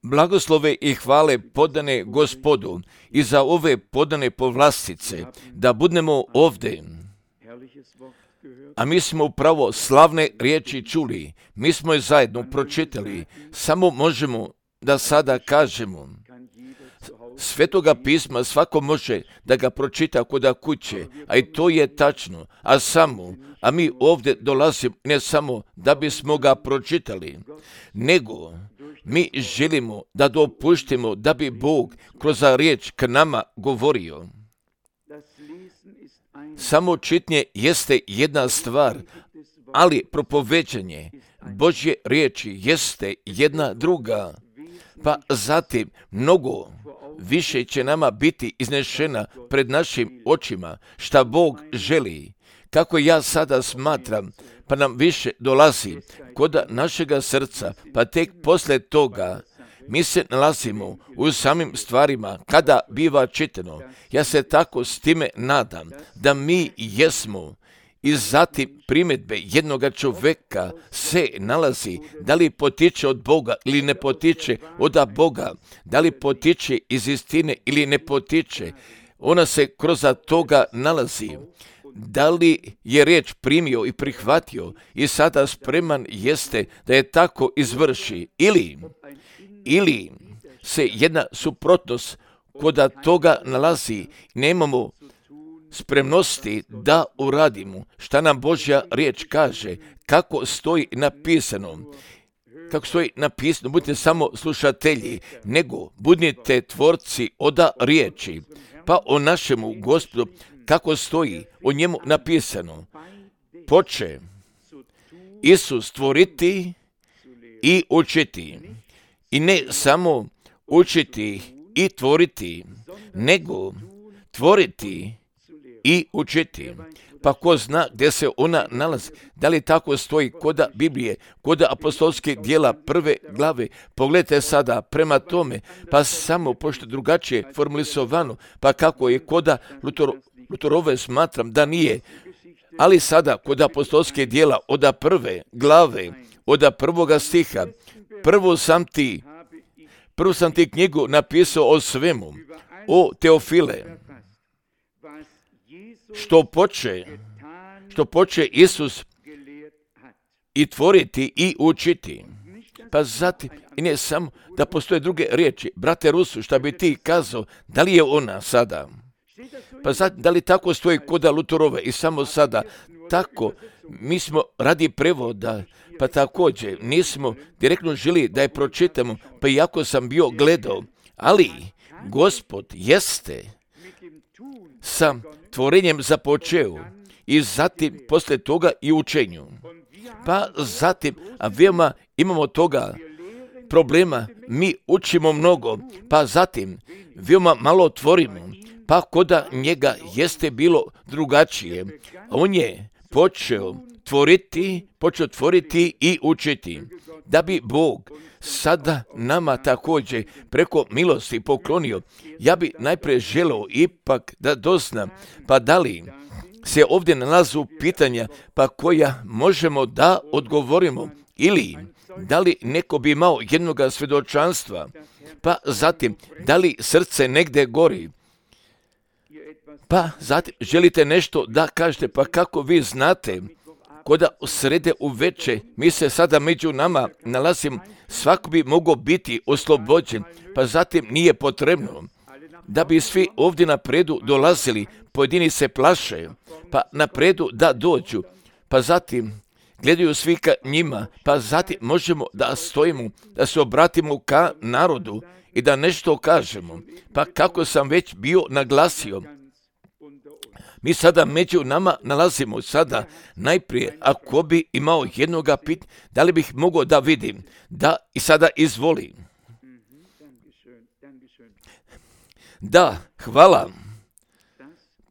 Blagoslove i hvale podane Gospodu i za ove podane povlastice, da budemo ovdje. A mi smo upravo slavne riječi čuli, mi smo je zajedno pročitali, samo možemo da sada kažemo. Svetoga pisma svako može da ga pročita kod kuće, a i to je tačno, a mi ovdje dolazimo ne samo da bismo ga pročitali, nego mi želimo da dopuštimo da bi Bog kroz riječ k nama govorio. Samo čitanje jeste jedna stvar, ali propoveđanje Božje riječi jeste jedna druga. Pa zatim mnogo više će nama biti iznešena pred našim očima šta Bog želi. Kako ja sada smatram, pa nam više dolazi kod našega srca, pa tek posle toga mi se nalazimo u samim stvarima kada biva čitano. Ja se tako s time nadam da mi jesmo. I zatim primjedbe jednoga čovjeka se nalazi da li potiče od Boga ili ne potiče od Boga, da li potiče iz istine ili ne potiče. Ona se kroz toga nalazi. Da li je riječ primio i prihvatio i sada spreman jeste da je tako izvrši ili se jedna suprotnost kod toga nalazi, nemamo spremnosti da uradimo šta nam Božja riječ kaže, kako stoji napisano. Kako stoji napisano, budite samo slušatelji, nego budite tvorci od riječi. Pa o našemu Gospodu, kako stoji o njemu napisano, poče Isus tvoriti i učiti. I ne samo učiti i tvoriti, nego tvoriti i učiti. Pa ko zna gdje se ona nalazi, da li tako stoji kod Biblije, kod apostolskih djela 1. glave. Pogledajte sada prema tome, pa samo pošto drugačije formulisovano, pa kako je kod Luterove smatram da nije. Ali sada kod apostolskih djela od 1. glave, od 1. stiha, prvo sam ti knjigu napisao o svemu, o Teofile, što poče Isus i tvoriti i učiti. Pa zatim, i ne samo da postoje druge riječi. Brate Rusu, šta bi ti kazao, da li je ona sada? Pa zatim, da li tako stoji kod Luterove i samo sada? Tako, mi smo radi prevoda, pa također nismo direktno želi da je pročitamo, pa iako sam bio gledao, ali Gospod jeste sa tvorenjem započeo i zatim poslije toga i učenju. Pa zatim, a veoma imamo toga problema, mi učimo mnogo, pa zatim veoma malo tvorimo, pa kod njega jeste bilo drugačije. On je počeo tvoriti i učiti, da bi Bog sada nama također preko milosti poklonio. Ja bi najprije želeo ipak da doznam, pa da li se ovdje nalazu pitanja pa koja možemo da odgovorimo, ili da li neko bi imao jednoga svjedočanstva, pa zatim da li srce negdje gori, pa zatim želite nešto da kažete, pa kako vi znate, koda srede uveče, mi se sada među nama nalazimo, svako bi mogao biti oslobođen, pa zatim nije potrebno da bi svi ovdje napredu dolazili, pojedini se plaše, pa napredu da dođu, pa zatim gledaju svi ka njima, pa zatim možemo da stojimo, da se obratimo ka narodu i da nešto kažemo. Pa kako sam već bio naglasio, mi sada među nama nalazimo sada najprije, ako bi imao jednoga pitanja, da li bih mogao da vidim, da i sada izvoli. Da, hvala.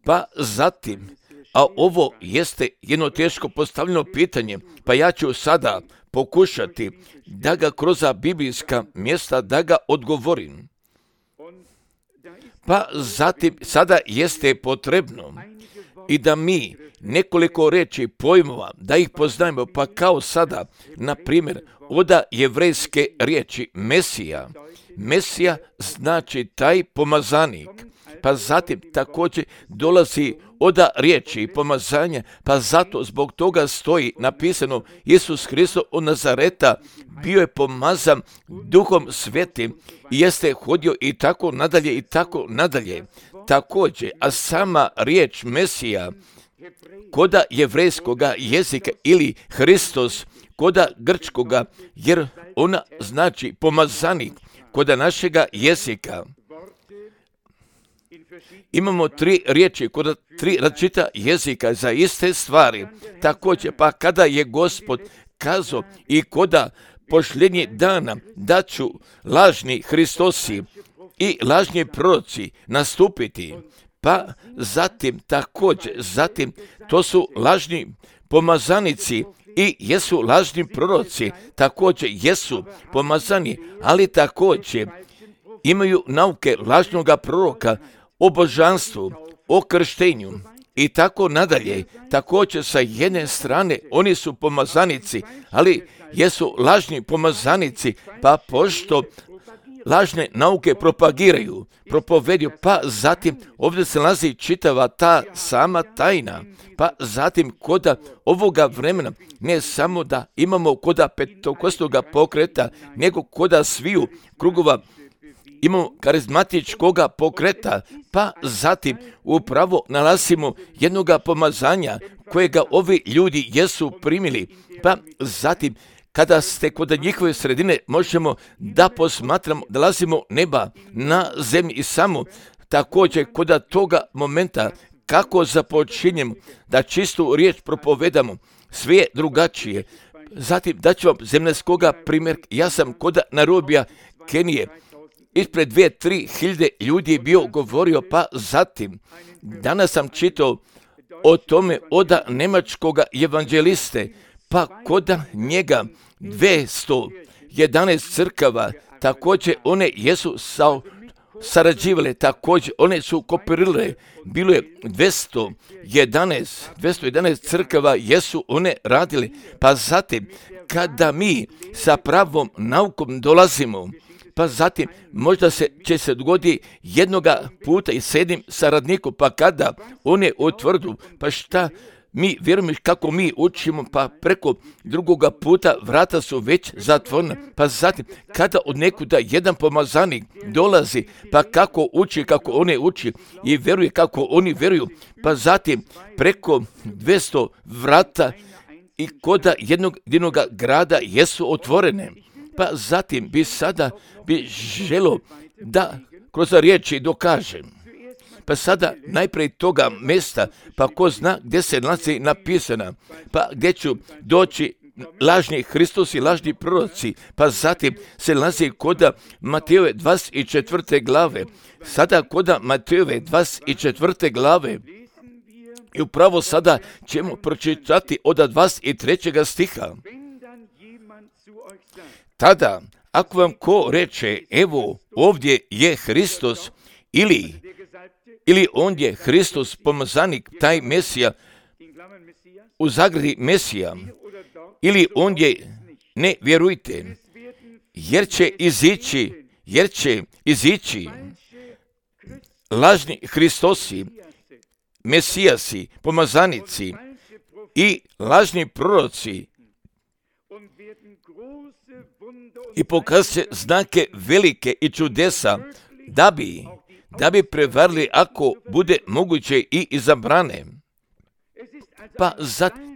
Pa zatim, a ovo jeste jedno teško postavljeno pitanje, pa ja ću sada pokušati da ga kroz biblijska mjesta da ga odgovorim. Pa zatim, sada jeste potrebno i da mi nekoliko reči pojmova, da ih poznajemo, pa kao sada, na primjer, od jevrejske riječi Mesija. Mesija znači taj pomazanik. Pa zatim također dolazi od riječi pomazanja, pa zato zbog toga stoji napisano Isus Hristos od Nazareta bio je pomazan Duhom Svetim i jeste hodio i tako nadalje i tako nadalje. Također, a sama riječ Mesija koda jevrejskoga jezika ili Hristos koda grčkoga, jer ona znači pomazanik koda našega jezika. Imamo 3 riječi kod 3 različita jezika za iste stvari. Također, pa kada je Gospod kazao i koda pošljenje dana da ću lažni Hristosi i lažni proroci nastupiti, pa zatim također, to su lažni pomazanici i jesu lažni proroci, također jesu pomazani, ali također imaju nauke lažnoga proroka o božanstvu, o krštenju i tako nadalje. Također sa jedne strane oni su pomazanici, ali jesu lažni pomazanici, pa pošto lažne nauke propagiraju, propovedju, pa zatim ovdje se nalazi čitava ta sama tajna, pa zatim koda ovoga vremena ne samo da imamo koda petokosnoga pokreta, nego koda sviju krugova imamo karizmatičkoga pokreta, pa zatim upravo nalazimo jednoga pomazanja kojega ovi ljudi jesu primili, pa zatim kada ste kod njihove sredine možemo da posmatramo, da lazimo neba na zemlji i samo također kod toga momenta kako započinjemo da čistu riječ propovedamo, sve je drugačije. Zatim daću vam zemljanskoga primjer, ja sam kod Nairobija, Kenije, ispred 2-3 hiljade ljudi je bio govorio, pa zatim danas sam čitao o tome od nemačkoga evanđeliste, pa kod njega 211 crkava, također one jesu sarađivale, također one su kooperirale, bilo je 211 crkava jesu one radili, pa zatim kada mi sa pravom naukom dolazimo, pa zatim možda će se dogodi jednoga puta i s jednim saradnikom, pa kada one utvrdu, pa šta mi vjerujemo kako mi učimo, pa preko drugoga puta vrata su već zatvorena, pa zatim kada od nekuda jedan pomazanik dolazi, pa kako uči, kako one uči i vjeruje kako oni vjeruju, pa zatim preko 200 vrata i koda jednog grada jesu otvorene. Pa zatim bi želo da kroz riječi dokažem. Pa sada najprije toga mjesta, pa ko zna gdje se nalazi napisana, pa gdje ću doći lažni Hristos i lažni proroci, pa zatim se nalazi koda Matejove 24. glave. Sada koda Matejove 24. glave i upravo sada ćemo pročitati od 23. stiha. Tada, ako vam ko reče, evo, ovdje je Hristos, ili on je Hristos, pomazanik, taj Mesija, u zagradi Mesija, ili on je, ne vjerujte, jer će izići lažni Hristosi, Mesijasi, pomazanici i lažni proroci, i pokazat znake velike i čudesa, da bi prevarili ako bude moguće i izabrane. Pa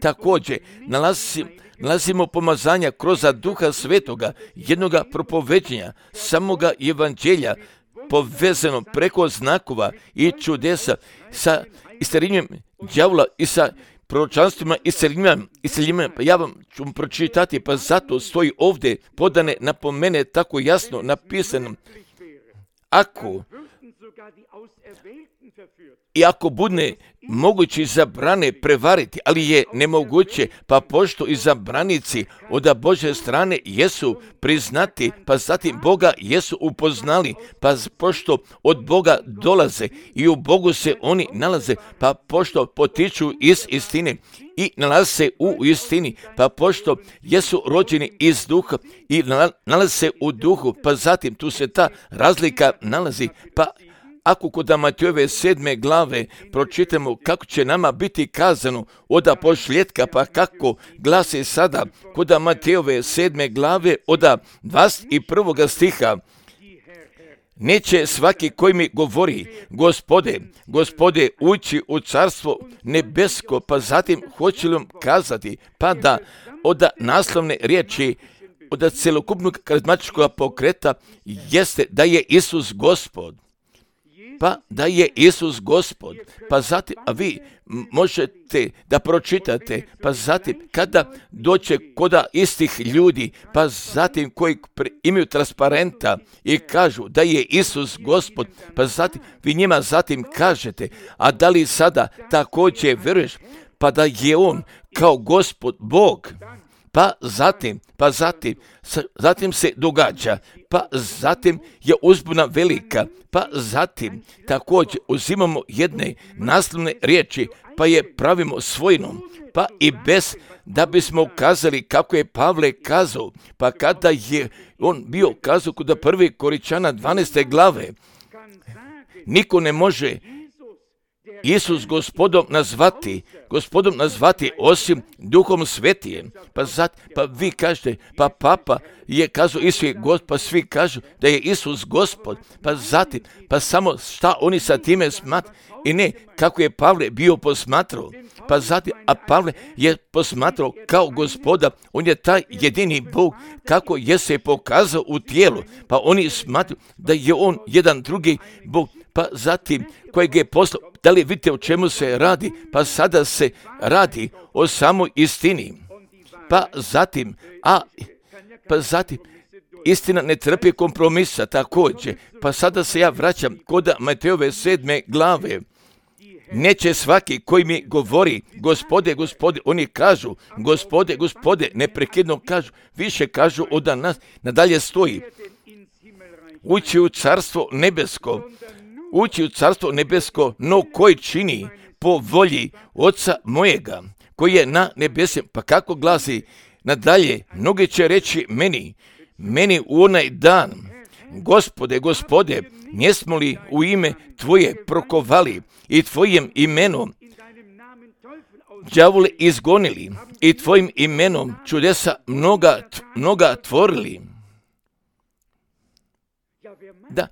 također nalazimo pomazanja kroz Duha Svetoga, jednoga propoveđenja, samoga evanđelja, povezano preko znakova i čudesa sa isceljenjem đavola i sa proročanstvima isceljenjima. Pa ja vam ću pročitati, pa zato stoji ovdje podane napomene tako jasno napisano. I ako bude moguće izabrane prevariti, ali je nemoguće, pa pošto izabranici od Božje strane jesu priznati, pa zatim Boga jesu upoznali, pa pošto od Boga dolaze i u Bogu se oni nalaze, pa pošto potiču iz istine i nalaze se u istini, pa pošto jesu rođeni iz duha i nalaze se u duhu, pa zatim tu se ta razlika nalazi, pa ako kod Matejove 7. glave pročitamo kako će nama biti kazano od pošljetka, pa kako glasi sada kod Matejove 7. glave od 21. stiha, neće svaki koji mi govori, Gospode, Gospode, ući u carstvo nebesko, pa zatim hoće li vam kazati, pa da od naslovne riječi, od celokupnog karizmatičkog pokreta jeste da je Isus Gospod. Pa da je Isus Gospod, pa zatim, a vi možete da pročitate, pa zatim kada doće koda istih ljudi, pa zatim koji imaju transparenta i kažu da je Isus Gospod, pa zatim vi njima zatim kažete, a da li sada također vjeruješ, pa da je On kao Gospod Bog, pa zatim se događa, pa zatim je uzbuna velika, pa zatim također uzimamo jedne naslovne riječi, pa je pravimo svojinom, pa i bez da bismo ukazali kako je Pavle kazao, pa kada je on bio kazao kod 1. Korinčana 12. glave, niko ne može Isus gospodom nazvati osim Duhom Svetijem. Pa vi kažete, pa Papa je kazao Isus je Gospod, pa svi kažu da je Isus Gospod, pa zatim, pa samo šta oni sa time smatraju i ne kako je Pavle bio posmatrao. Pa zatim, a Pavle je posmatrao kao Gospoda, on je taj jedini Bog kako je se pokazao u tijelu, pa oni smatraju da je on jedan drugi Bog, pa zatim kojeg je poslao. Da li vidite o čemu se radi? Pa sada se radi o samoj istini. Pa zatim, istina ne trpi kompromisa također. Pa sada se ja vraćam kod Matejove 7. glave. Neće svaki koji mi govori, Gospode, Gospode, oni kažu, Gospode, Gospode, neprekidno kažu, više kažu od nas, nadalje stoji. Ući u carstvo nebesko, no koji čini po volji Oca mojega, koji je na nebesima. Pa kako glasi nadalje, mnogi će reći meni u onaj dan, Gospode, Gospode, njesmo li u ime Tvoje prokovali i Tvojim imenom đavole izgonili i Tvojim imenom čudesa mnoga tvorili? Da,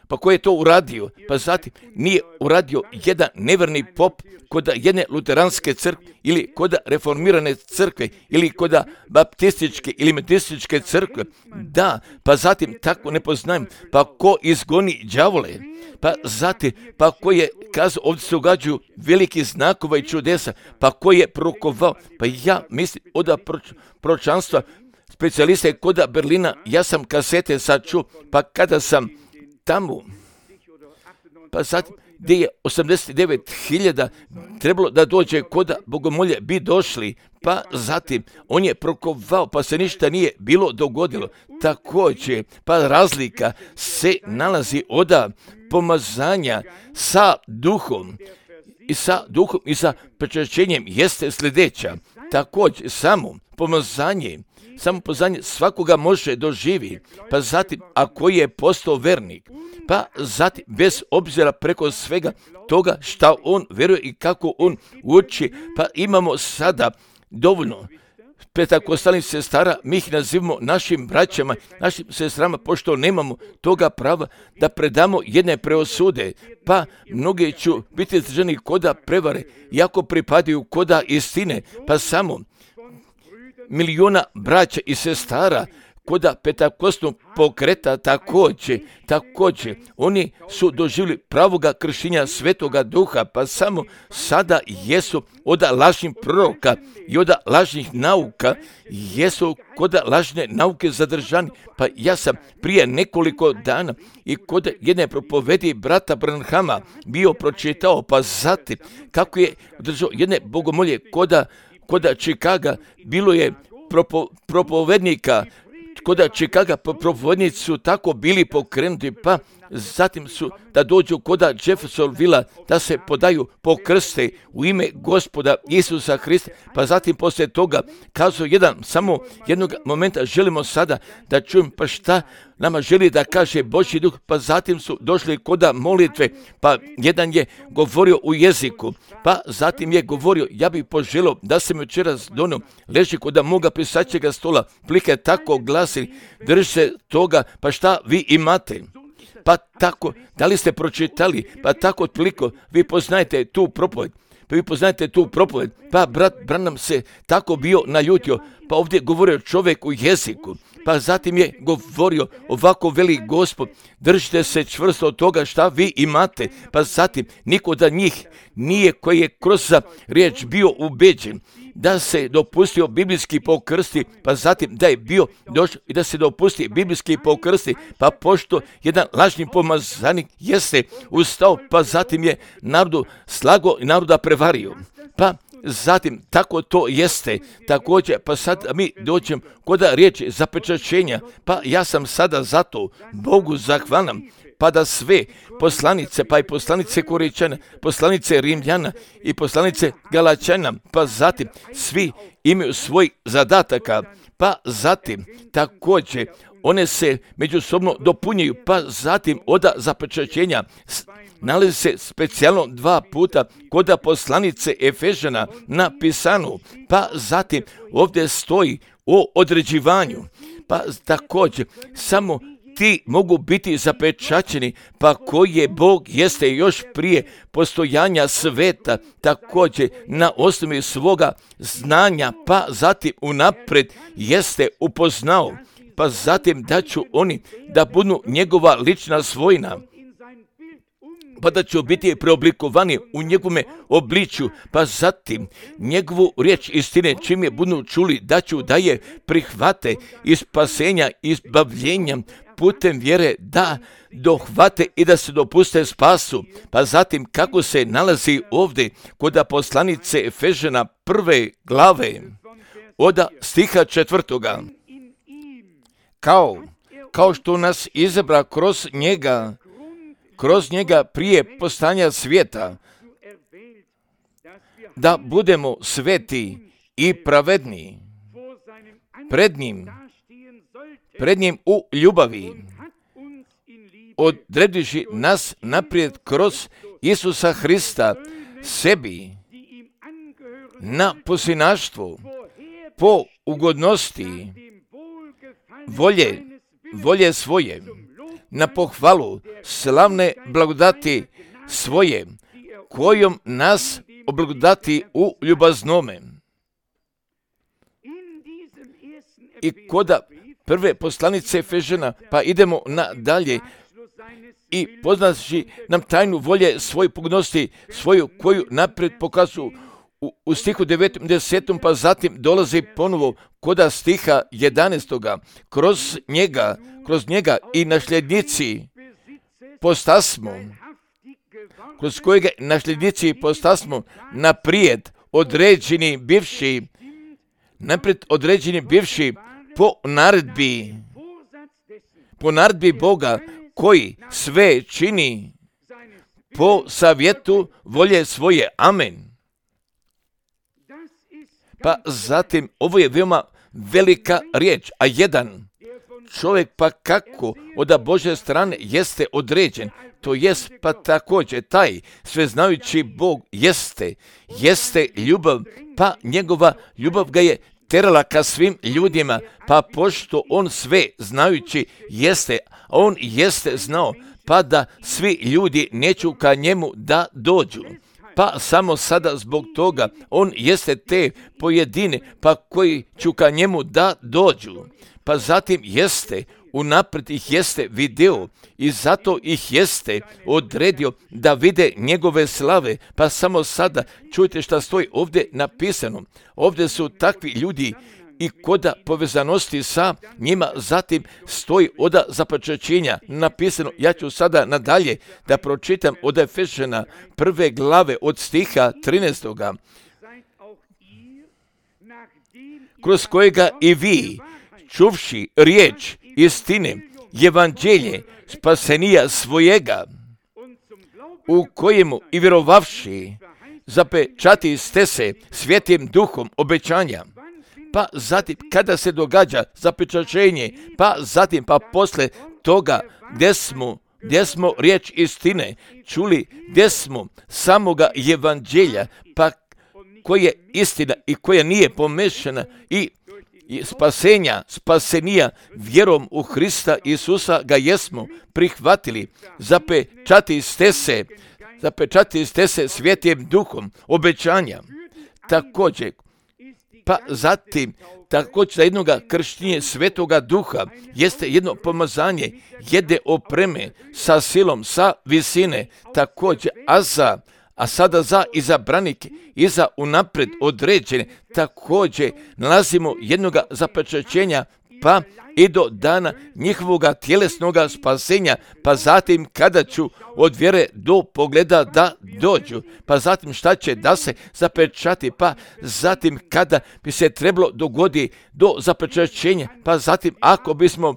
pa ko je to uradio? Pa zatim nije uradio jedan neverni pop kod jedne luteranske crkve ili kod reformirane crkve ili kod baptističke ili metističke crkve. Da, pa zatim tako ne poznajem. Pa ko izgoni đavole? Pa zatim, pa ko je kazao, ovdje se događaju veliki znakova i čudesa, pa ko je prokovao? Pa ja mislim od proročanstva specijaliste kod Berlina, ja sam kasete sad čuo, pa kada sam tamo, pa zatim gdje je 89.000 trebalo da dođe kod bogomolje, bi došli, pa zatim on je prokovao, pa se ništa nije bilo dogodilo. Također, pa razlika se nalazi od pomazanja sa duhom i sa prečašćenjem jeste sljedeća. Također, samo pomazanje svakoga može doživi, pa zatim ako je postao vernik, pa zatim bez obzira preko svega toga šta on vjeruje i kako on uči, pa imamo sada dovoljno petakostalnih sestara, mi ih nazivamo našim braćama, našim sestrama, pošto nemamo toga prava da predamo jedne preosude, pa mnogi ću biti držani koda prevare, iako pripadaju koda istine, pa samo miliona braća i sestara koda Pentakostnog pokreta također, oni su doživjeli pravoga kršenja Svetoga Duha, pa samo sada jesu od lažnih proroka i od lažnih nauka, jesu kod lažne nauke zadržani. Pa ja sam prije nekoliko dana i kod jedne propovedi brata Branhama bio pročitao, pa zatim kako je držao jedne bogomolje koda Čikaga, bilo je propovednika, koda Čikaga propovednici su tako bili pokrenuti, pa zatim su da dođu koda Jeffersonvilla, da se podaju pokrste u ime Gospoda Isusa Hrista, pa zatim poslije toga kazao samo jednog momenta želimo sada da čujem pa šta nama želi da kaže Božji Duh, pa zatim su došli koda molitve, pa jedan je govorio u jeziku, pa zatim je govorio, ja bih poželio da se mi večeras donio, leži koda moga pisaćega stola, plike tako glasi, drži se toga, pa šta vi imate? Pa tako, da li ste pročitali, pa tako otpliko, vi poznajete tu propoved, pa brat Branham se tako bio naljutio, pa ovdje govorio čovjek u jeziku, pa zatim je govorio, ovako veli Gospod, držite se čvrsto od toga šta vi imate, pa zatim niko da njih nije koji je kroz riječ bio ubeđen, da se dopustio biblijski pokrsti, pa zatim da je bio došao i da se dopusti biblijski pokrsti, pa pošto jedan lažni pomazanik jeste ustao, pa zatim je narodu slago i naroda prevario. Pa zatim tako to jeste također, pa sad mi dođem koda riječi zapečaćenja, pa ja sam sada zato Bogu zahvalan, pa da sve poslanice, pa i poslanice Koričana, poslanice Rimljana i poslanice Galačana, pa zatim svi imaju svoj zadataka, pa zatim također one se međusobno dopunjuju, pa zatim od zapečaćenja nalazi se specijalno 2 puta koda poslanice Efežana napisano, pa zatim ovdje stoji o određivanju, pa također samo ti mogu biti zapečaćeni, pa koji je Bog jeste još prije postojanja sveta, također na osnovi svoga znanja, pa zatim unaprijed jeste upoznao, pa zatim da ću oni da budu njegova lična svojina, pa da će biti preoblikovani u njegove obličju, pa zatim njegovu riječ istine čim je budu čuli da je prihvate iz spasenja, izbavljenja putem vjere, da dohvate i da se dopuste spasu. Pa zatim kako se nalazi ovdje kod poslanice Efežana 1. glave od stiha 4. Kao što nas izabra kroz njega prije postojanja svijeta, da budemo sveti i pravedni pred njim u ljubavi, odrediši nas naprijed kroz Isusa Hrista sebi na posljednaštvo po ugodnosti volje svoje, na pohvalu slavne blagodati svoje, kojom nas oblagodati u ljubaznome. I koda prve poslanice Efežana, pa idemo nadalje i poznaći nam tajnu volje svoje pogodnosti svoju, koju naprijed pokazuju u stihu 9. 10. pa zatim dolazi ponovo koda stiha 11. Kroz njega i nasljednici postasmo, kroz kojega nasljednici postasmo naprijed određeni bivši po naredbi Boga koji sve čini po savjetu volje svoje. Amen. Pa zatim, ovo je veoma velika riječ, a jedan čovjek pa kako od Božje strane jeste određen, to jest pa također taj sveznajući Bog jeste ljubav, pa njegova ljubav ga je terala ka svim ljudima, pa pošto on sve znajući jeste, a on jeste znao, pa da svi ljudi neću ka njemu da dođu. Pa samo sada zbog toga on jeste te pojedine, pa koji ću ka njemu da dođu. pa zatim jeste, unaprijed ih jeste video i zato ih jeste odredio da vide njegove slave, pa samo sada čujte šta stoji ovdje napisano. Ovdje su takvi ljudi i koda povezanosti sa njima, zatim stoji od započećenja napisano. Ja ću sada nadalje da pročitam od Efežana 1. glave od stiha 13. kroz kojega i vi, čuvši riječ istine, evanđelje spasenija svojega, u kojemu i vjerovavši zapečati ste se Svetim Duhom obećanja. Pa zatim kada se događa zapečaćenje, pa zatim pa posle toga gdje smo riječ istine čuli, gdje smo samoga evanđelja, pa koja je istina i koja nije pomešana i spasenija vjerom u Hrista Isusa ga jesmo prihvatili, zapečati ste se Svetim Duhom obećanja. Također, pa zatim također za jednoga krštenja Svetoga Duha jeste jedno pomazanje, jedne opreme sa silom, sa visine, također, a sada za izabranike i za unaprijed određene, također nalazimo jednoga zapečaćenja, pa i do dana njihovoga tjelesnoga spasenja, pa zatim kada ću od vjere do pogleda da dođu, pa zatim šta će da se zapečati, pa zatim kada bi se trebalo dogoditi do zapečaćenja, pa zatim ako bismo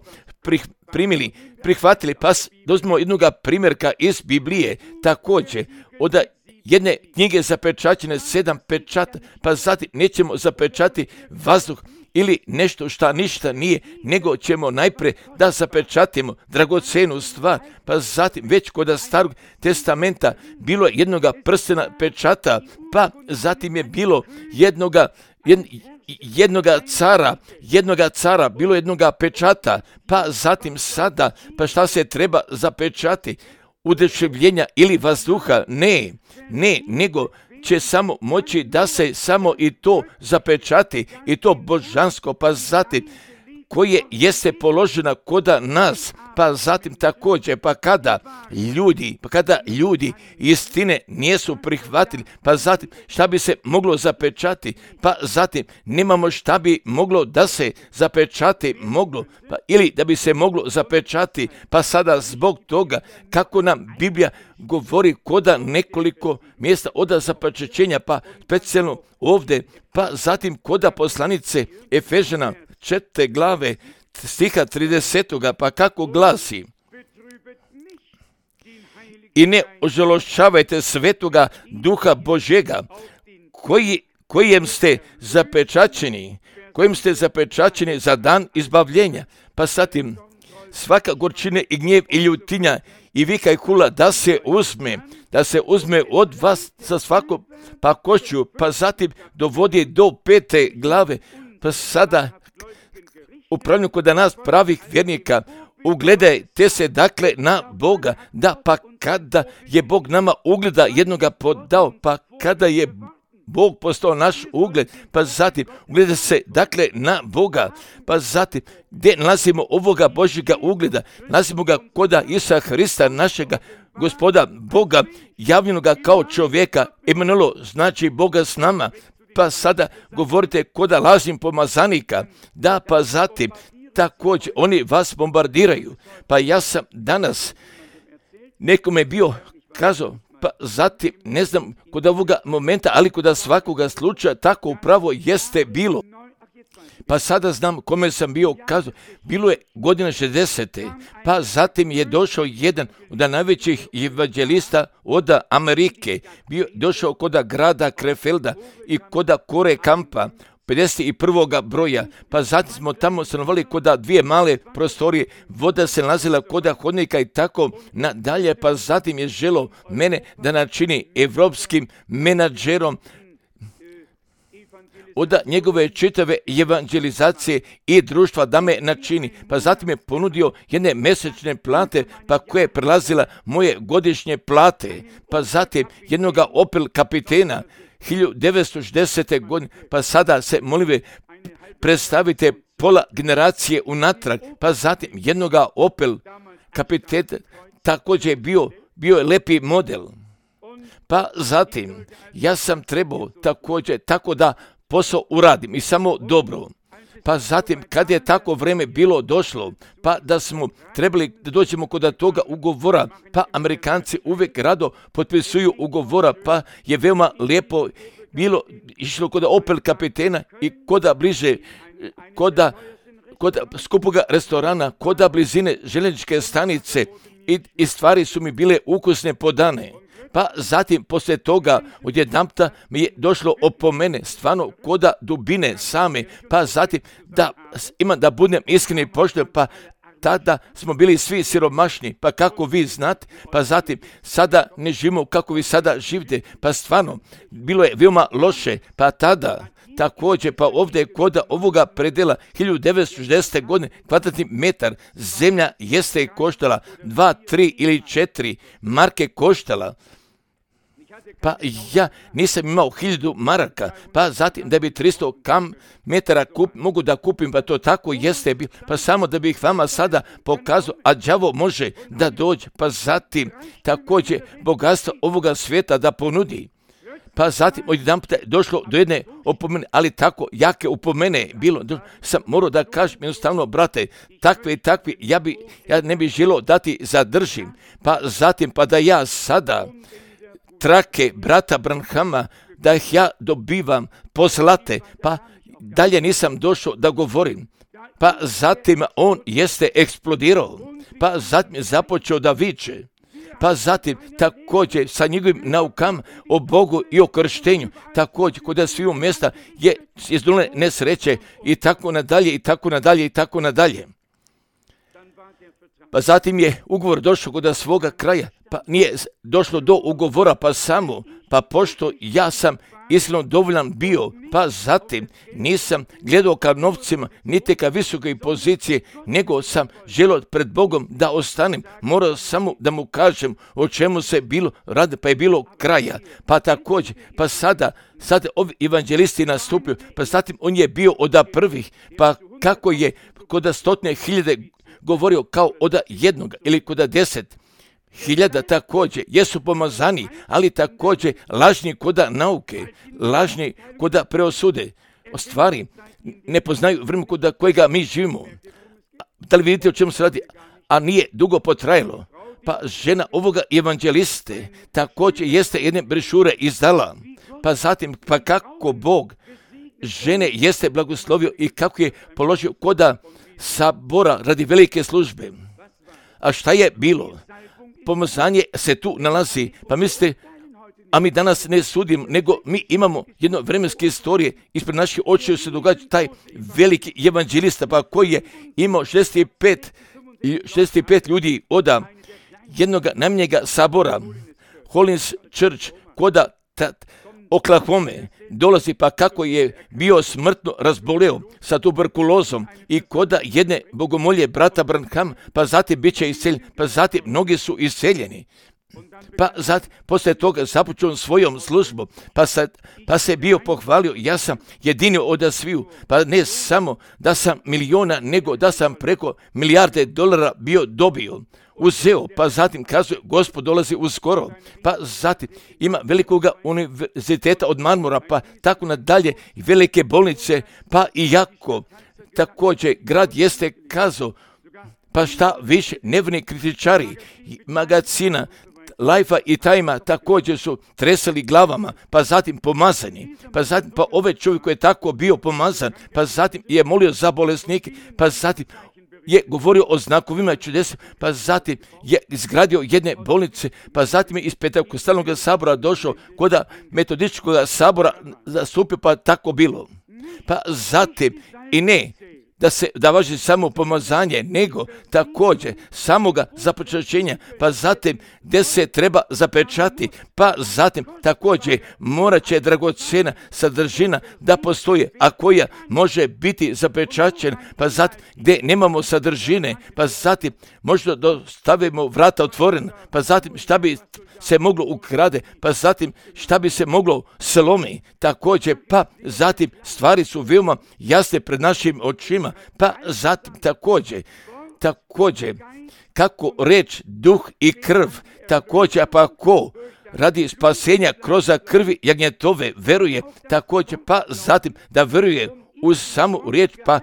prihvatili, pa dozmimo jednoga primjerka iz Biblije, također od jedne knjige zapečaćene 7 pečata, pa zatim nećemo zapečati vazduh ili nešto šta ništa nije, nego ćemo najprije da zapečatimo dragocenu stvar, pa zatim već kod Starog testamenta bilo je jednoga prstena pečata, pa zatim je bilo jednoga cara, bilo jednoga pečata, pa zatim sada, pa šta se treba zapečati? Udeševljenja ili vazduha? Ne, nego će samo moći da se samo i to zapečati, i to božansko, pa zatim koje jeste položena koda nas, pa zatim također, pa kada ljudi istine nisu prihvatili, pa zatim šta bi se moglo zapečati, pa zatim nemamo šta bi moglo da se zapečati moglo, pa ili da bi se moglo zapečati, pa sada zbog toga kako nam Biblija govori koda nekoliko mjesta od zapečaćenja, pa specijalno ovdje, pa zatim koda poslanice Efežana 4. glave stiha 30. pa kako glasi: i ne ožalošćavajte Svetoga Duha Božjega, kojim ste zapečaćeni za dan izbavljenja. Pa zatim svaka gorčina i gnjev i ljutinja i vika i hula da se uzme od vas sa svako pakošću, pa zatim dovodi do 5. glave, pa sada upravljaju kod nas pravih vjernika, ugledajte se dakle na Boga, da pa kada je Bog nama ugleda jednoga podao, pa kada je Bog postao naš ugled, pa zatim ugleda se dakle na Boga, pa zatim gdje nalazimo ovoga Božjega ugleda? Nalazimo ga koda Isusa Hrista, našega Gospoda Boga, javljenoga kao čovjeka, Emanuel, znači Boga s nama. Pa sada govorite koda lažnim pomazanika, da pa zatim također oni vas bombardiraju. Pa ja sam danas nekome bio kazao, pa zatim ne znam kod ovoga momenta, ali kod svakoga slučaja tako upravo jeste bilo. Pa sada znam kome sam bio kazao, bilo je godina 60. Pa zatim je došao jedan od najvećih evanđelista od Amerike, došao kod grada Krefelda i kod Kore Kampa, 51. broja, pa zatim smo tamo stanovali kod 2 male prostorije, voda se nalazila kod hodnika i tako nadalje, pa zatim je želio mene da načini evropskim menadžerom od njegove čitave evanđelizacije i društva da me načini. Pa zatim je ponudio jedne mesečne plate, pa koje je prelazila moje godišnje plate. Pa zatim jednoga Opel kapitena 1960. godine, pa sada se molim predstavite pola generacije unatrag, pa zatim jednoga Opel kapiteta, također bio je lepi model. Pa zatim, ja sam trebao također tako da posao uradim i samo dobro. Pa zatim, kad je tako vreme bilo došlo, pa da smo trebali da dođemo kod toga ugovora, pa Amerikanci uvijek rado potpisuju ugovora, pa je veoma lijepo bilo išlo kod Opel kapitena i koda bliže, kod skupoga restorana, kod blizine željezničke stanice i stvari su mi bile ukusne podane. Pa zatim, poslije toga, odjedanputa mi je došlo opomene, stvarno koda dubine same, pa zatim, da budem iskren i pošten, pa tada smo bili svi siromašni, pa kako vi znate, pa zatim, sada ne živimo kako vi sada živite, pa stvarno, bilo je veoma loše, pa tada, također, pa ovdje kod ovoga predela 1960. godine kvadratni metar zemlja jeste koštala 2, 3 ili 4 marke koštala. Pa ja nisam imao 1000 maraka, pa zatim da bi 300 metara mogu da kupim, pa to tako jeste bilo, pa samo da bih vama sada pokazao, a đavo može da dođe, pa zatim također bogatstvo ovoga svijeta da ponudi. Pa zatim odjedanput je došlo do jedne opomene, ali tako jake opomene bilo. Sam morao da kažem jednostavno, brate, takve i takve, ja ne bih želio da ti zadržim. Pa zatim, pa da ja sada trake brata Branhama, da ih ja dobivam poslate, pa dalje nisam došao da govorim. Pa zatim on jeste eksplodirao, pa zatim je započeo da viče. Pa zatim također sa njegovim naukama o Bogu i o krštenju, također kod sviju mjesta je izdolne nesreće i tako nadalje i tako nadalje i tako nadalje. Pa zatim je ugovor došao kod svoga kraja, pa nije došlo do ugovora, pa samo, pa pošto ja sam iskreno dovoljan bio, pa zatim nisam gledao ka novcima, niti ka visokoj pozicije, nego sam želio pred Bogom da ostanem, morao samo da mu kažem o čemu se bilo radi, pa je bilo kraja. Pa također, pa sada ovi evanđelisti nastupio, pa zatim on je bio od prvih, pa kako je kod 100.000 govorio kao od jednog ili kod 10.000 također jesu pomazani, ali također lažni koda nauke, lažni koda preosude. O stvari ne poznaju vremena koda kojega mi živimo. Da li vidite o čemu se radi? A nije dugo potrajalo. Pa žena ovoga evanđeliste također jeste jedne brešure izdala. Pa zatim, pa kako Bog žene jeste blagoslovio i kako je položio koda sabora radi velike službe. A šta je bilo? Pomazanje se tu nalazi, pa mislite, a mi danas ne sudimo, nego mi imamo jedno vremenske istorije, ispred naših očiju se događa taj veliki evanđelista, pa koji je imao 65 ljudi od jednog najmanjega sabora, Hollins Church, koda Oklahoma, dolazi, pa kako je bio smrtno razboleo sa tuberkulozom i koda jedne bogomolje brata Branham, pa zatim bit će iseljen, pa zatim mnogi su iseljeni. Pa zatim, poslije toga započeo svojom službom, pa se bio pohvalio, ja sam jedini od sviju, pa ne samo da sam miliona, nego da sam preko milijarde dolara bio dobio. Uzeo, pa zatim kazuje, Gospod dolazi uskoro, pa zatim ima velikoga univerziteta od marmora, pa tako nadalje, i velike bolnice, pa i jako, također grad jeste kazao, pa šta više, nevni kritičari, magazina, Life-a i Time-a također su tresali glavama, pa zatim pomazani, pa zatim, pa ovaj čovjek koji je tako bio pomazan, pa zatim je molio za bolesnike, pa zatim je govorio o znakovima čudesa, pa zatim je izgradio jedne bolnice, pa zatim je iz Pentekostalnog sabora došao kod metodističkog sabora zastupio, pa tako bilo. Pa zatim i ne, da važi samo pomazanje, nego također samoga zapečaćenja, pa zatim gdje se treba zapečati, pa zatim također morat će dragocjena sadržina da postoji, a koja može biti zapečaćena, pa zatim gdje nemamo sadržine, pa zatim možda stavimo vrata otvorena, pa zatim šta bi se moglo ukrade, pa zatim šta bi se moglo slomi, također, pa zatim stvari su veoma jasne pred našim očima, pa zatim također, kako reč, duh i krv, također, pa ko radi spasenja kroz krvi jagnjetove veruje, također, pa zatim da veruje uz samu riječ, pa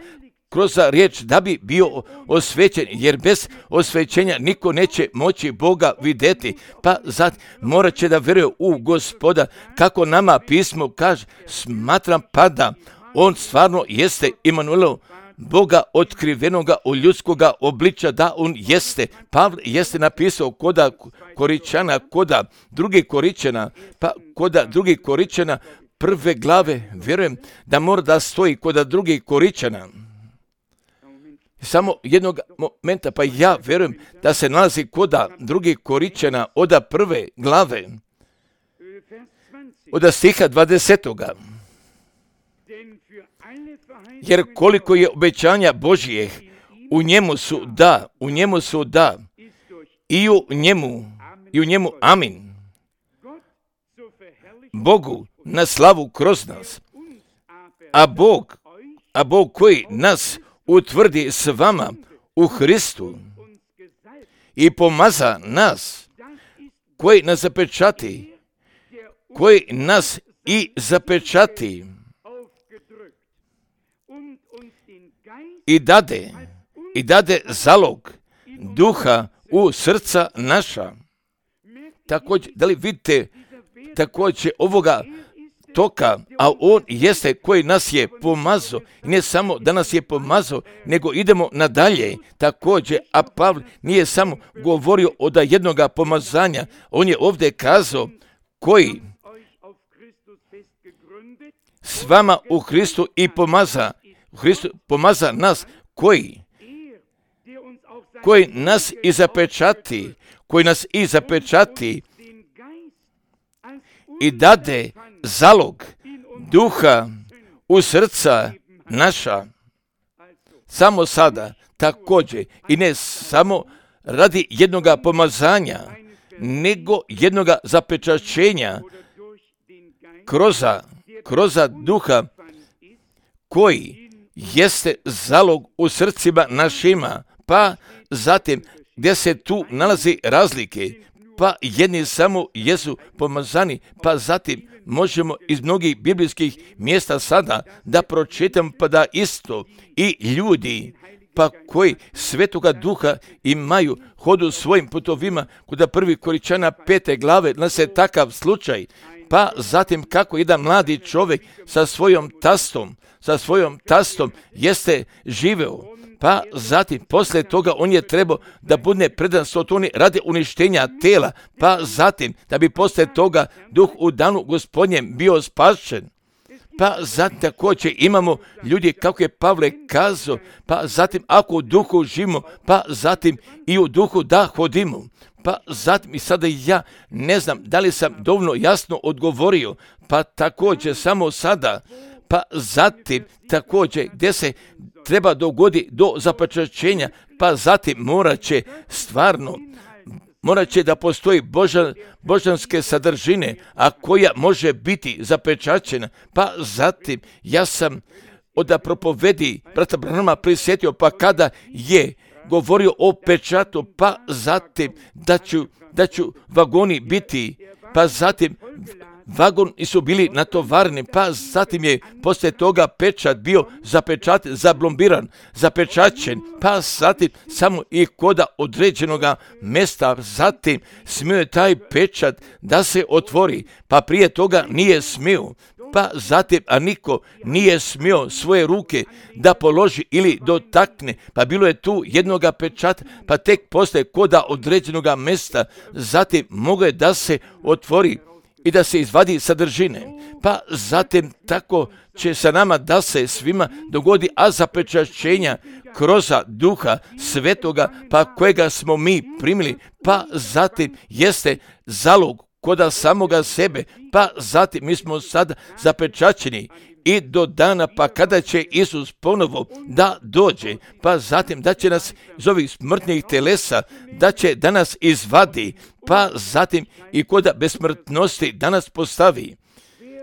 kroz riječ da bi bio osvećen, jer bez osvećenja niko neće moći Boga vidjeti, pa zatim morat će da veruje u Gospoda, kako nama pismo kaže, smatram pa da on stvarno jeste Imanuel, Boga otkrivenoga u ljudskoga obličja, da on jeste. Pavle jeste napisao koda Koričana, koda drugih Koričana, pa koda drugih Koričana prve glave, vjerujem da mora da stoji koda drugih Koričana. Samo jednog momenta, pa ja vjerujem da se nalazi koda drugih Koričana od prve glave, od stiha 20. Jer koliko je obećanja Božijeh, u njemu su da, i u njemu amin. Bogu na slavu kroz nas, a Bog koji nas utvrdi s vama u Hristu i pomaza nas, koji nas zapečati, i dade zalog duha u srca naša. Također, da li vidite također ovoga toka, a on jeste koji nas je pomazao, i ne samo da nas je pomazao, nego idemo nadalje također, a Pavle nije samo govorio od jednoga pomazanja, on je ovdje kazao koji s vama u Hristu i pomaza nas, koji nas i zapečati, i dade zalog duha u srca naša. Samo sada također, i ne samo radi jednoga pomazanja, nego jednoga zapečaćenja kroz duha, koji jeste zalog u srcima našima, pa zatim gdje se tu nalazi razlike, pa jedni samo jesu pomazani, pa zatim možemo iz mnogih biblijskih mjesta sada da pročitam, pa da isto i ljudi, pa koji Svetoga Duha imaju, hodu svojim putovima, kod prvi Koričana 5. glave, nas je takav slučaj, pa zatim kako jedan mladi čovjek sa svojom tastom jeste živeo, pa zatim poslije toga on je trebao da bude predan Sotoni radi uništenja tela, pa zatim da bi poslije toga duh u danu Gospodnjem bio spašen. Pa zatim također imamo ljudi, kako je Pavle kazao, pa zatim ako u duhu živimo, pa zatim i u duhu da hodimo. Pa zatim i sada ja ne znam da li sam dovoljno jasno odgovorio, pa također samo sada, pa zatim također gdje se treba dogodi do zapečaćenja, pa zatim morat će da postoji božanske sadržine, a koja može biti zapečaćena, pa zatim ja sam od propovedi brata Branhama prisjetio, pa kada je govorio o pečatu, pa zatim da ću vagoni biti, pa zatim vagoni su bili natovareni, pa zatim je poslije toga pečat bio zablombiran, zapečaćen, pa zatim samo i koda određenoga mjesta, zatim smio je taj pečat da se otvori, pa prije toga nije smio, pa zatim, a niko nije smio svoje ruke da položi ili dotakne, pa bilo je tu jednoga pečata, pa tek poslije koda određenoga mjesta, zatim moglo je da se otvori i da se izvadi sadržine. Pa zatim tako će se nama da se svima dogodi, a zapečaćenja kroz Duha Svetoga, pa kojega smo mi primili, pa zatim jeste zalog koda samoga sebe, pa zatim mi smo sada zapečaćeni i do dana pa kada će Isus ponovo da dođe, pa zatim da će nas iz ovih smrtnih telesa, da nas izvadi, pa zatim i koda besmrtnosti da nas postavi.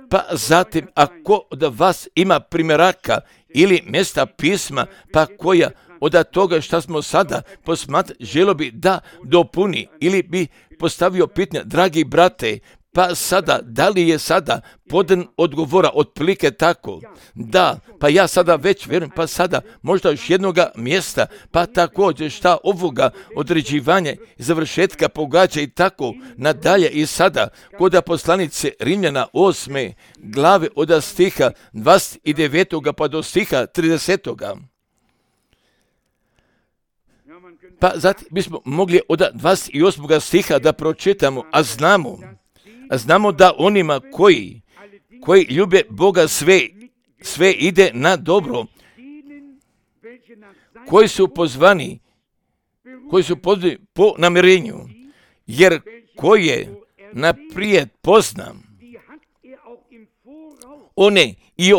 Pa zatim ako od vas ima primjeraka ili mjesta pisma, pa koja od toga što smo sada posmatrali želo bi da dopuni ili bi postavio pitanje, dragi brate, pa sada, da li je sada podan odgovora otprilike tako? Da, pa ja sada već vjerujem, pa sada možda još jednoga mjesta, pa također šta ovoga određivanja i završetka pogađa i tako nadalje i sada kod poslanice Rimljana 8. glave od stiha 29. pa do stiha 30. Pa zatim bismo mogli od 28. stiha da pročitamo, a znamo da onima koji ljube Boga sve ide na dobro, koji su pozvani po namjerenju, jer koje naprijed pozna, one i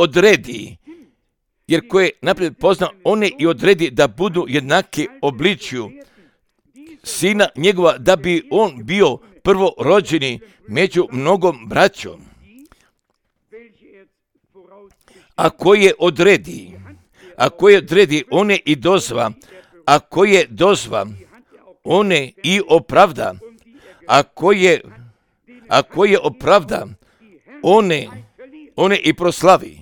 odredi, da budu jednaki obličju Sina njegova, da bi on bio prvorođeni među mnogom braćom. Ako je odredi, one i dozva, ako je dozva, one i opravda, ako je opravda, one i proslavi.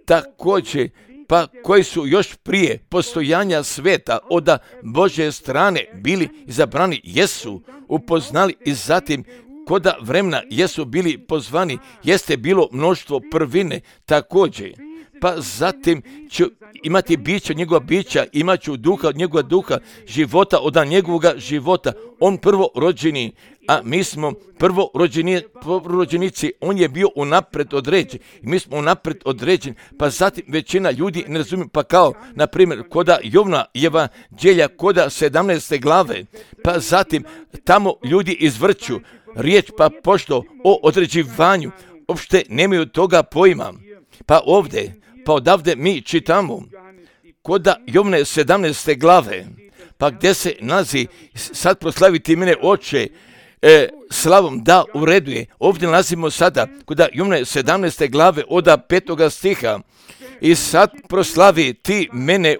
Također, pa koji su još prije postojanja sveta od Božje strane bili izabrani, jesu upoznali i zatim koda vremena jesu bili pozvani, jeste bilo mnoštvo prvine također. Pa zatim ću imati bića njegova bića, imat ću duha od njegova duha, života od njegovoga života. On prvorođeni, a mi smo prvorođenici, on je bio unapred određen. I mi smo unapred određeni, pa zatim većina ljudi ne razumije, pa kao, na primjer, koda Jovna evanđelja, koda 17. glave, pa zatim tamo ljudi izvrću riječ, pa pošto o određivanju, uopšte nemaju toga pojma. Pa odavde mi čitamo koda Jovne 17. glave, pa gdje se nalazi sad proslaviti mene oče slavom, da u redu je. Ovdje nalazimo sada koda Jovne 17. glave od 5. stiha i sad proslavi ti mene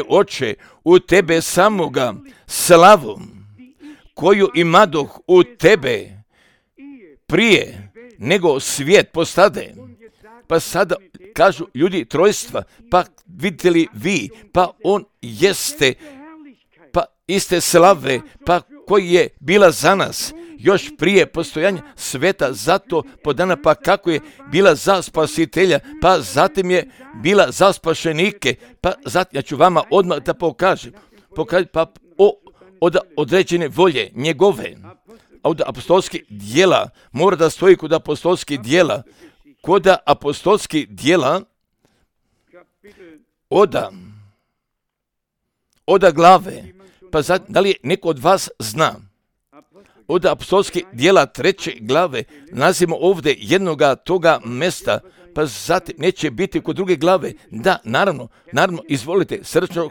oče u tebe samoga slavom koju imadoh u tebe prije nego svijet postade. Pa sada kažu ljudi trojstva, pa vidite li vi, pa on jeste, pa iste slave, pa koji je bila za nas još prije postojanja sveta, zato podana, pa kako je bila za spasitelja, pa zatim je bila za spašenike, pa zatim ja ću vama odmah da pokažem pa od određene volje njegove. A od apostolskih dijela, mora da stoji kod apostolskih dijela, oda glave, pa da li neko od vas zna, od apostolskih dijela 3. glave, nalazimo ovdje jednoga toga mesta, pa zatim neće biti kod druge glave. Da, naravno, izvolite, srčno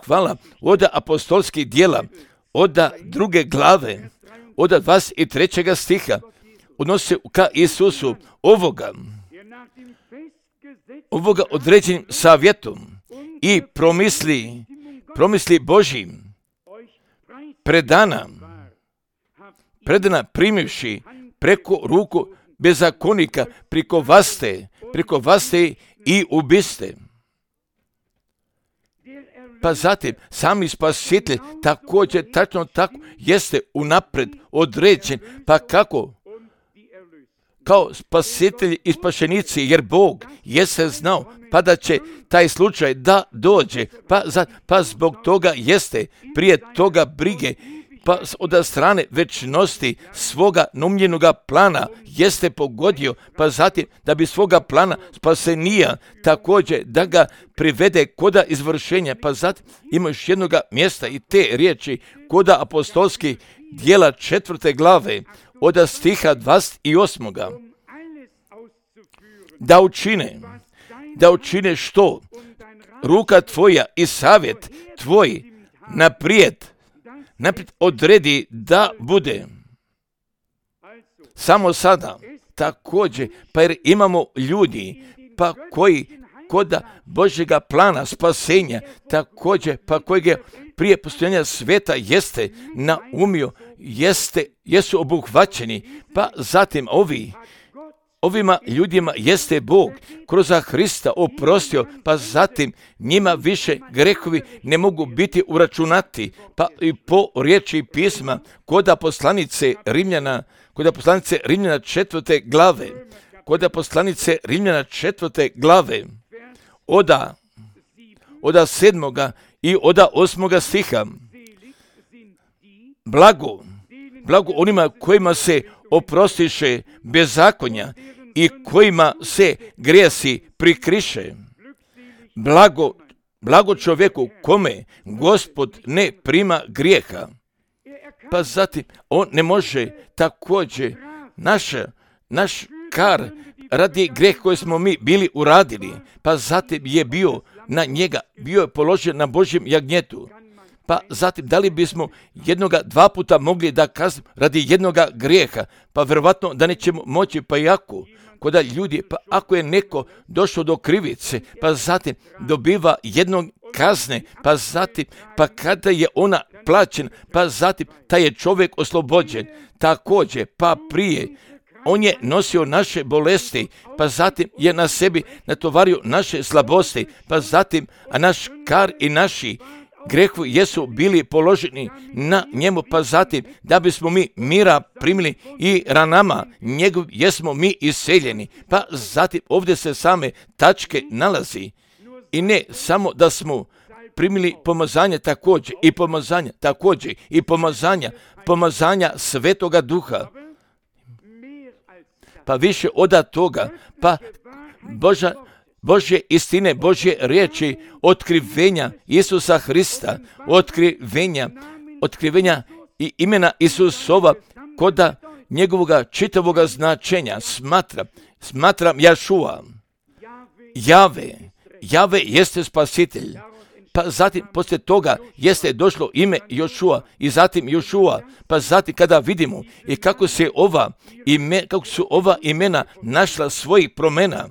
hvala, od apostolskih dijela, od 2. glave, od 23. stiha, odnosi se ka Isusu, ovoga određenim savjetom i promisli Božjim, predana primivši preko ruku bezakonika, preko vaste i ubiste. Pa zatim, sami spasitelj također, tačno tako, jeste unapred određen, pa kako? Kao spasitelji i spašenici, jer Bog jeste znao, pa da će taj slučaj da dođe, pa zbog toga jeste prije toga brige, pa od strane večnosti svoga numljenoga plana jeste pogodio, pa zatim da bi svoga plana spasenija također da ga privede koda izvršenja, pa zatim ima još jednoga mjesta i te riječi koda apostolskih dijela 4. glave od stiha 28. Da učine što ruka tvoja i savjet tvoj naprijed odredi da bude. Samo sada također, pa jer imamo ljudi pa koji koda Božjega plana spasenja također, pa kojeg prije postojanja sveta jeste naumio, jesu obuhvaćeni, pa zatim ovima ljudima jeste Bog kroz Hrista oprostio, pa zatim njima više grehovi ne mogu biti uračunati, pa i po riječi pisma koda poslanice Rimljana 4. glave, koda poslanice Rimljana 4. glave, oda 7. i oda 8. stiha. Blago onima kojima se oprostiše bezakonja i kojima se grijesi prikriše. Blago čovjeku kome Gospod ne prima grijeha. Pa zatim on ne može također naš kar radi grijeh koji smo mi bili uradili, pa zatim je bio položen na Božjem jagnjetu. Pa zatim, da li bismo dva puta mogli da kaznimo radi jednoga grijeha? Pa vjerovatno da nećemo moći, pa jako. Koda ljudi, pa ako je neko došao do krivice, pa zatim dobiva jednog kazne, pa zatim, pa kada je ona plaćena, pa zatim taj je čovjek oslobođen. Također, pa prije, on je nosio naše bolesti, pa zatim je na sebi natovario naše slabosti, pa zatim, a naš kar i naši grehovi jesu bili položeni na njemu, pa zatim da bismo mi mira primili i ranama njegov jesmo mi iseljeni. Pa zatim ovdje se same tačke nalazi i ne samo da smo primili pomazanje također i pomazanja Svetoga Duha. Pa više od toga, pa Božje istine, Božje riječi, otkrivenja Isusa Hrista, otkrivenja i imena Isusova koda njegovoga čitavoga značenja smatram Jašua. Jave jeste spasitelj. Pa zatim poslije toga jeste došlo ime Jošua i zatim Jošua. Pa zatim kada vidimo i kako su ova imena našla svojih promjena,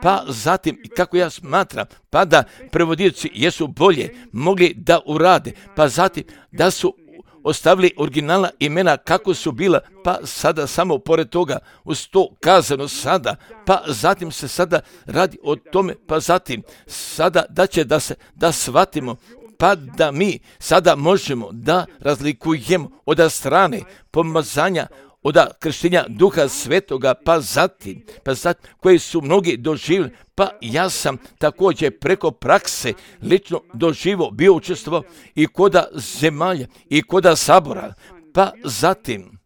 pa zatim kako ja smatram, pa da prevodioci jesu bolje mogli da urade, pa zatim da su ostavili originalna imena kako su bila, pa sada samo pored toga uz to kazano sada, pa zatim se sada radi o tome, pa zatim sada da shvatimo, pa da mi sada možemo da razlikujemo od strane pomazanja, od krštenja Duha Svetoga, pa zatim koji su mnogi doživjeli, pa ja sam također preko prakse lično doživo bio učestvovao i koda zemalja i koda sabora, pa zatim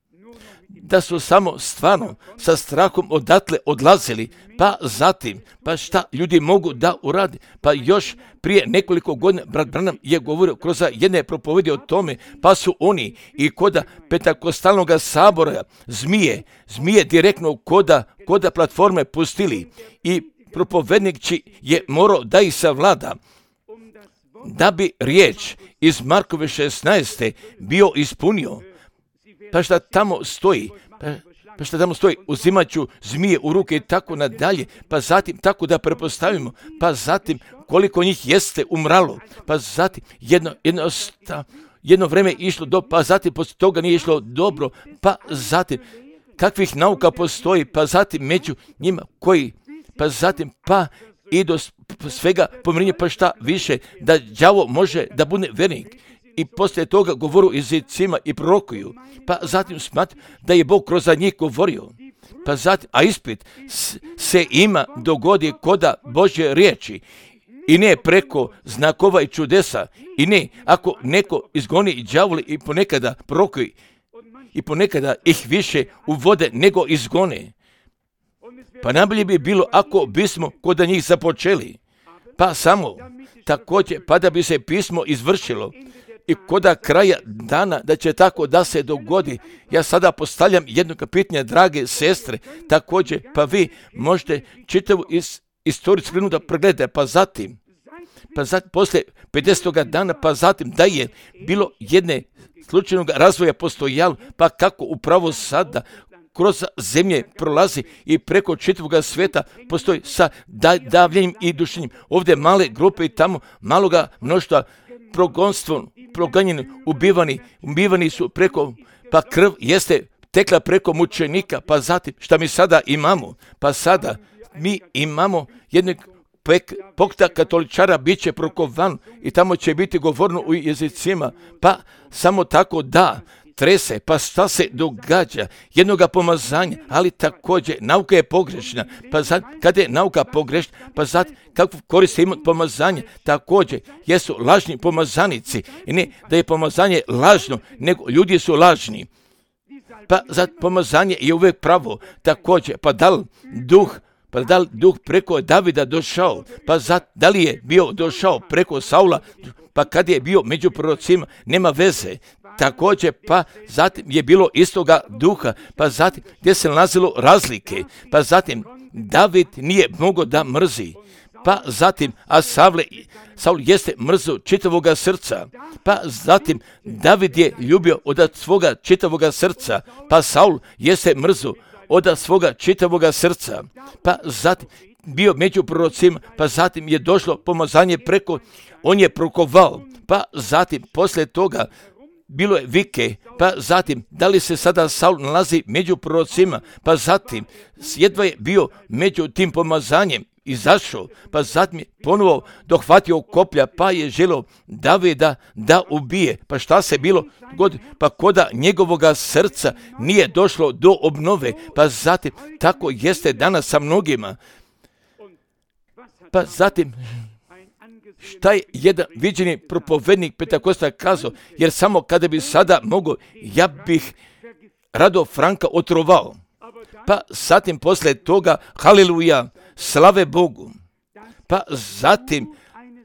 da su samo stvarno sa strahom odatle odlazili, pa zatim, pa šta ljudi mogu da uradi, pa još prije nekoliko godina brat Branham je govorio kroz jedne propovedi o tome, pa su oni i koda Pentakostalnog sabora zmije direktno koda platforme pustili i propovednik je morao da ih savlada, da bi riječ iz Markove 16. bio ispunio. Pa šta tamo stoji? Uzimat ću zmije u ruke i tako nadalje, pa zatim tako da prepostavimo, pa zatim koliko njih jeste umralo, pa zatim jedno vreme išlo pa zatim poslije toga nije išlo dobro, pa zatim kakvih nauka postoji, pa zatim među njima koji, pa zatim i do svega pomirenja, pa šta više, da đavo može da bude vernik. I poslije toga govoru jezicima i prorokuju, pa zatim smatram da je Bog kroz njih govorio, pa zatim, a ispit se ima dogodi koda Božje riječi i ne preko znakova i čudesa, i ne ako neko izgoni đavole i ponekada prorokuju i ponekada ih više uvode nego izgone. Pa najbolje bi bilo ako bismo kod njih započeli, pa samo također pa da bi se pismo izvršilo i koda kraja dana da će tako da se dogodi. Ja sada postavljam jedno pitanje, drage sestre, također pa vi možete čitavu istoriju skrinu da pregledate, pa zatim poslije 50. dana, pa zatim da je bilo jedne slučajnog razvoja postojalo, pa kako upravo sada kroz zemlje prolazi i preko čitavog svijeta postoji sa davljenjem i dušenjem. Ovdje male grupe i tamo maloga mnoštva progonstvom, proganjeni, ubivani su preko, pa krv jeste tekla preko mučenika, pa zatim šta mi sada imamo? Pa sada mi imamo jednog pokta katoličara bit će prokovan i tamo će biti govorno u jezicima, pa samo tako da trese, pa šta se događa, jednoga pomazanja, ali također nauka je pogrešna, pa sad kada je nauka pogrešna, pa sad kakvu korist ima pomazanje, također jesu lažni pomazanici, i ne da je pomazanje lažno, nego ljudi su lažni, pa sad pomazanje je uvijek pravo, također, pa da li duh preko Davida došao, pa da li je bio došao preko Saula, pa kad je bio među prorocima, nema veze. Također, pa zatim je bilo istoga duha, pa zatim gdje se nalazilo razlike, pa zatim David nije mogao da mrzi, pa zatim, a Saul jeste mrzo čitavoga srca, pa zatim David je ljubio od svoga čitavoga srca, pa Saul jeste mrzo od svoga čitavoga srca, pa zatim bio među prorocima, pa zatim je došlo pomazanje preko, on je prokovao, pa zatim poslije toga bilo je vike, pa zatim da li se sada Saul nalazi među prorocima, pa zatim jedva je bio među tim pomazanjem, izašao, pa zatim je ponovo dohvatio koplja, pa je želio Davida da ubije. Pa šta se bilo god, pa koda njegovoga srca nije došlo do obnove, pa zatim tako jeste danas sa mnogima. Pa zatim šta je jedan viđeni propovednik Pentakosta kazao, jer samo kada bi sada mogao, ja bih rado Franka otrovao. Pa zatim poslije toga, haleluja, slave Bogu. Pa zatim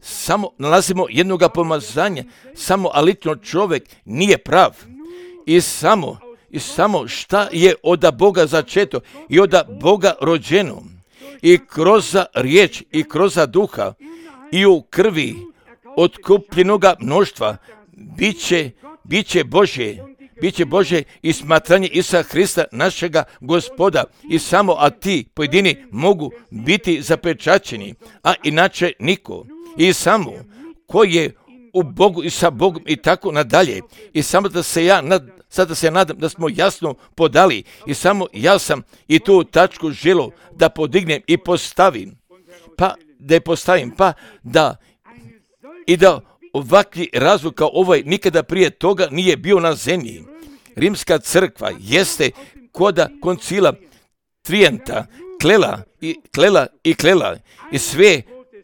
samo nalazimo jednoga pomazanja, samo alično čovjek nije prav. I samo šta je od Boga začeto i od Boga rođeno. I kroz riječ i kroz duha i u krvi otkupljenoga mnoštva biće Bože i smatranje Isusa Hrista našega Gospoda, i samo a ti pojedini mogu biti zapečaćeni, a inače niko. I samo koji je u Bogu i sa Bogom i tako nadalje. I samo da se sada se nadam da smo jasno podali, i samo ja sam i tu tačku želio da podignem i postavim, pa da je postavim, pa da ovakvi razvoj kao ovaj nikada prije toga nije bio na zemlji. Rimska crkva jeste koda koncila Trijenta klela i sve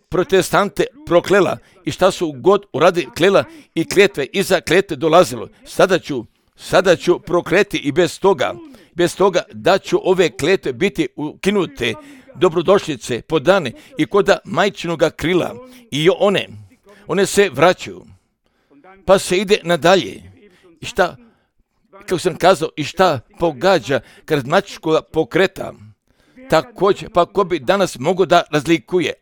protestante proklela, i šta su god uradi klela i kletve, iza kletve dolazilo. Sada ću prokleti i bez toga da ću ove kletve biti ukinute, dobrodošlice podane i koda majčinoga krila, i one se vraćaju, pa se ide nadalje. I šta, kako sam kazao, i šta pogađa karizmatičkog pokreta, također, pa ko bi danas mogao da razlikuje,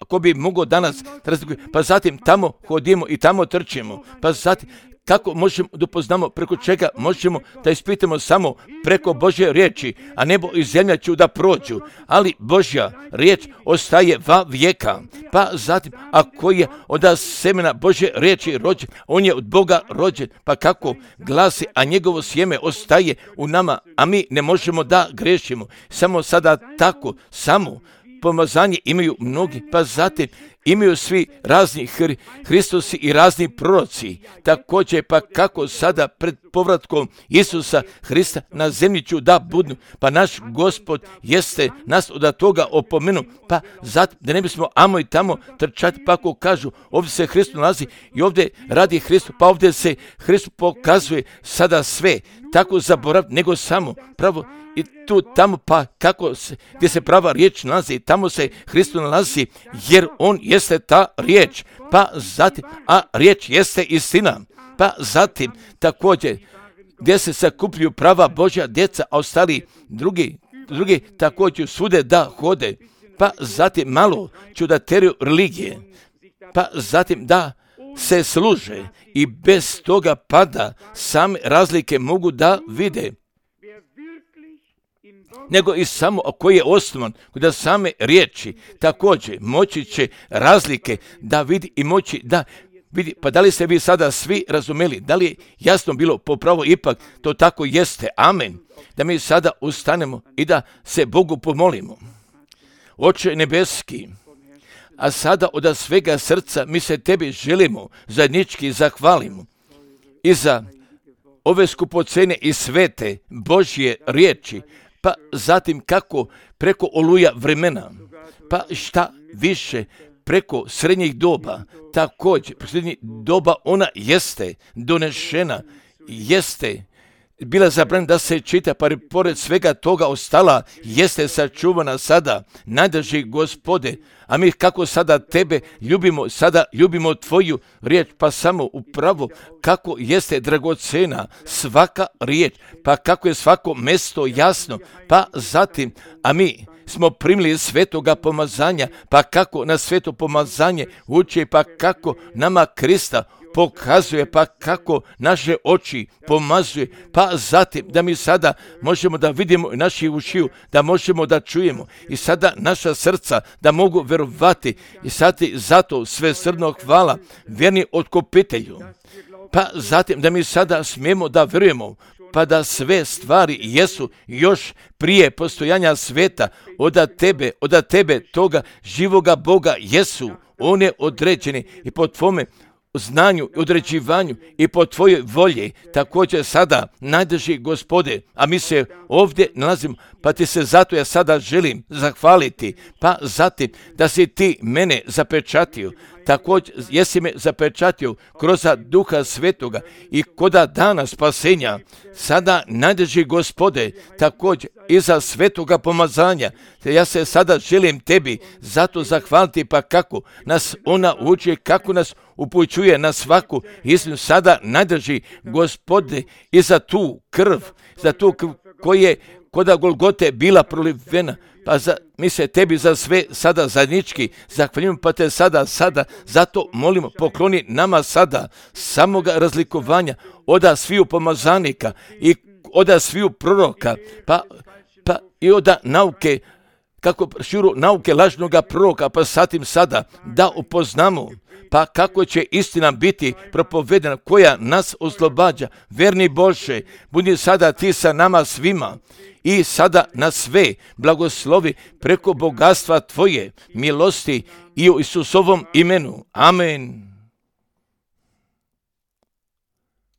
pa zatim tamo hodimo i tamo trčimo, pa zatim kako možemo da upoznamo, preko čega možemo da ispitamo, samo preko Božje riječi, a nebo i zemlja ću da prođu, ali Božja riječ ostaje va vijeka. Pa zatim, ako je od semena Božje riječi rođen, on je od Boga rođen, pa kako glasi, a njegovo sjeme ostaje u nama, a mi ne možemo da grešimo. Samo sada tako, samo pomazanje imaju mnogi, pa zatim imaju svi razni Hristosi i razni proroci. Također pa kako sada pred povratkom Isusa Hrista na zemlji ću da budu, pa naš Gospod jeste nas od toga opomenu, pa zato da ne bismo amo i tamo trčati, pa ako kažu ovdje se Hristos nalazi i ovdje radi Hristos, pa ovdje se Hristos pokazuje sada sve, tako zaboraviti, nego samo pravo i tu tamo, pa kako se, gdje se prava riječ nalazi, tamo se Hristos nalazi, jer on jeste ta riječ, pa zatim, a riječ jeste istina, pa zatim također gdje se sakupljuju prava Božja djeca, a ostali drugi također svude da hode, pa zatim malo čudateriju religije, pa zatim da se služe i bez toga pada same razlike mogu da vide, nego i samo koji je osnovan da same riječi također moći će razlike da vidi i moći da vidi. Pa da li ste vi sada svi razumeli, da li je jasno bilo popravo ipak to tako jeste, amen, da mi sada ustanemo i da se Bogu pomolimo. Oče nebeski, a sada od svega srca mi se tebi želimo zajednički zahvalimo i za ove skupocene i svete Božje riječi, pa zatim kako preko oluja vremena, pa šta više preko srednjih doba, također srednjih doba ona jeste donešena, jeste bila zabranjena da se čita, pa pored svega toga ostala jeste sačuvana sada, najdrži Gospode, a mi kako sada tebe ljubimo, sada ljubimo tvoju riječ, pa samo upravo kako jeste dragocena svaka riječ, pa kako je svako mjesto jasno, pa zatim, a mi smo primili svetoga pomazanja, pa kako na sveto pomazanje uči, pa kako nama Krista pokazuje, pa kako naše oči pomazuje, pa zatim da mi sada možemo da vidimo i naši ušiju, da možemo da čujemo i sada naša srca da mogu verovati i sada zato sve srdno hvala vjerni otkupitelju, pa zatim da mi sada smijemo da verujemo, pa da sve stvari jesu još prije postojanja sveta od tebe toga živoga Boga jesu one određene i po tvome znanju i određivanju i po tvojoj volji također sada najdrži Gospode, a mi se ovdje nalazimo, pa ti se zato ja sada želim zahvaliti, pa zatim da si ti mene zapečatio, također jesi me zapečatio kroz Duha Svetoga i koda dana spasenja, sada najdrži Gospode, također i za svetoga pomazanja, te ja se sada želim tebi zato zahvaliti, pa kako nas ona uči, kako nas upućuje na svaku istinu, sada najdrži Gospode i za tu krv koja je koda Golgote bila prolivena, pa mi se tebi za sve sada zajednički zahvaljujemo, pa te sada zato molimo, pokloni nama sada samoga razlikovanja oda sviju pomazanika i oda sviju proroka, pa i oda nauke, kako širu nauke lažnoga proroka, pa satim sada da upoznamo, pa kako će istina biti propovedena koja nas oslobađa. Verni Bože, budi sada ti sa nama svima i sada na sve blagoslovi preko bogatstva tvoje milosti i u Isusovom imenu. Amen.